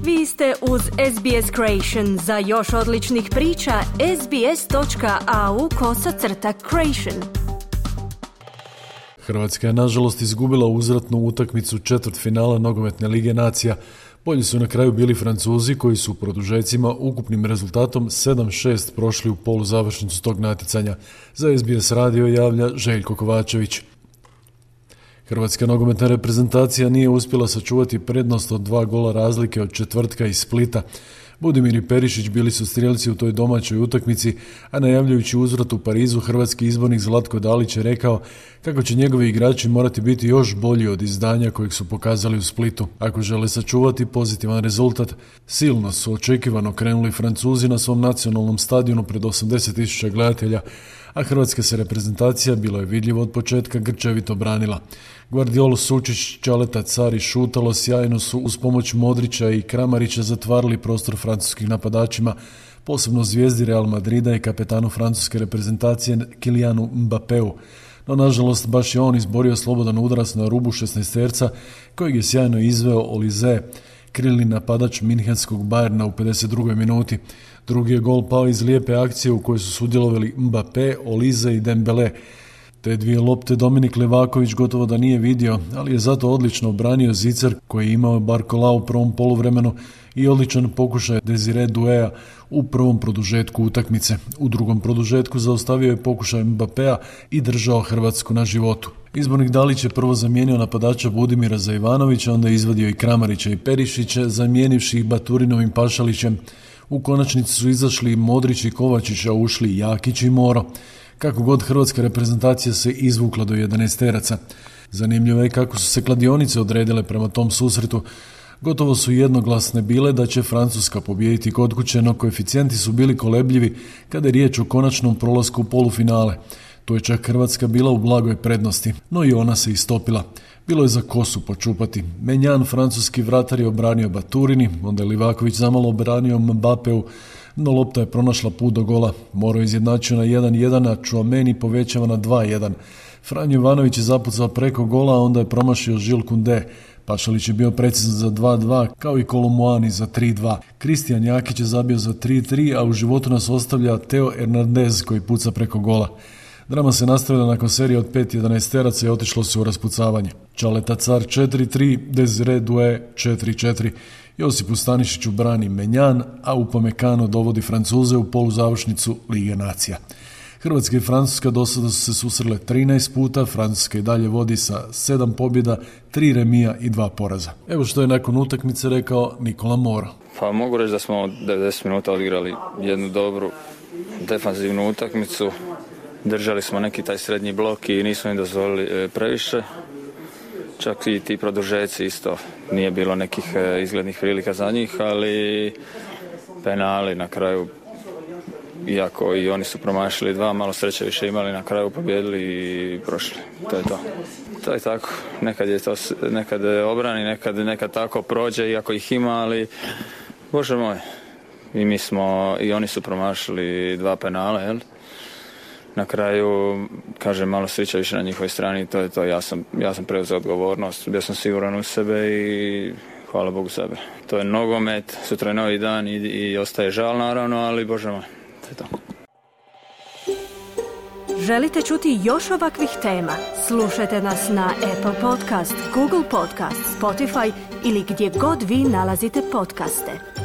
Vi ste uz SBS Creation. Za još odličnih priča, sbs.au/creation. Hrvatska je nažalost izgubila uzvratnu utakmicu četvrtfinala Nogometne lige nacija. Bolji su na kraju bili Francuzi koji su u produžecima ukupnim rezultatom 7-6 prošli u poluzavršnicu tog natjecanja. Za SBS radio javlja Željko Kovačević. Hrvatska nogometna reprezentacija nije uspjela sačuvati prednost od 2 gola razlike od četvrtka iz Splita. Budimir i Perišić bili su strijelci u toj domaćoj utakmici, a najavljujući uzvrat u Parizu, hrvatski izbornik Zlatko Dalić je rekao kako će njegovi igrači morati biti još bolji od izdanja kojeg su pokazali u Splitu. Ako žele sačuvati pozitivan rezultat, silno su očekivano krenuli Francuzi na svom nacionalnom stadionu pred 80.000 gledatelja, a hrvatska se reprezentacija, bilo je vidljivo od početka, grčevito branila. Guardiol, Sučić, Čaleta, Car i Šutalo sjajno su uz pomoć Modrića i Kramarića zatvarali prostor francuskim napadačima, posebno zvijezdi Real Madrida i kapetanu francuske reprezentacije Kylianu Mbappeu. No, nažalost, baš je on izborio slobodan udarac na rubu 16-terca, kojeg je sjajno izveo Olise, krilni napadač minhenskog Bayerna u 52. minuti. Drugi je gol pao iz lijepe akcije u kojoj su sudjelovali Mbappé, Olise i Dembele. Te dvije lopte Dominik Levaković gotovo da nije vidio, ali je zato odlično obranio zicer koji je imao Barcola u prvom poluvremenu i odličan pokušaj Desire Douéa u prvom produžetku utakmice. U drugom produžetku zaustavio je pokušaj Mbappéa i držao Hrvatsku na životu. Izbornik Dalić je prvo zamijenio napadača Budimira za Ivanovića, onda je izvadio i Kramarića i Perišića, zamijenivši ih Baturinovim Pašalićem. U konačnici su izašli Modrić i Kovačić, a ušli Jakić i Moro. Kako god, hrvatska reprezentacija se izvukla do 11-teraca. Zanimljivo je kako su se kladionice odredile prema tom susretu. Gotovo su jednoglasne bile da će Francuska pobijediti kod kuće, no koeficijenti su bili kolebljivi kada je riječ o konačnom prolasku u polufinale. Tu je čak Hrvatska bila u blagoj prednosti, no i ona se istopila. Bilo je za kosu počupati. Menjan, francuski vratar, je obranio Baturini, onda je Livaković zamalo obranio Mbappeu, no lopta je pronašla put do gola. Moro je izjednačio na 1-1, a Chouameni povećava na 2-1. Franjo Ivanović je zapucao preko gola, a onda je promašio Jules Koundé. Pašalić je bio precizan za 2-2, kao i Kolomuani za 3-2. Kristijan Jakić je zabio za 3-3, a u životu nas ostavlja Theo Hernandez koji puca preko gola. Drama se nastavila nakon serije od 5 11-teraca i otišlo se u raspucavanje. Čaleta Car 4-3, Desire Doué 4-4. Josipu Stanišiću brani Menjan, a Upamecano dovodi Francuze u poluzavršnicu Lige nacija. Hrvatska i Francuska do sada su se susrele 13 puta, Francuska i dalje vodi sa 7 pobjeda, 3 remija i 2 poraza. Evo što je nakon utakmice rekao Nikola Moro. Pa mogu reći da smo 90 minuta odigrali jednu dobru defanzivnu utakmicu. Držali smo neki taj srednji blok i nismo im dozvolili previše. Čak i ti produžeci isto nije bilo nekih izglednih prilika za njih, ali penali na kraju, iako i oni su promašili 2, malo sreće više imali, na kraju pobijedili i prošli. To je to. To je tako. Nekad obrani, nekad tako prođe, iako ih ima, ali Bože moj. I oni su promašili 2 penala, jel? Na kraju, kažem, malo sreća više na njihovoj strani, to je to. Ja sam preuzeo odgovornost, bio sam siguran u sebe i hvala Bogu sebe. To je nogomet, sutra je novi dan i ostaje žal naravno, ali Bože moj, to je to. Želite čuti još ovakvih tema? Slušajte nas na Apple Podcast, Google Podcast, Spotify ili gdje god vi nalazite podcaste.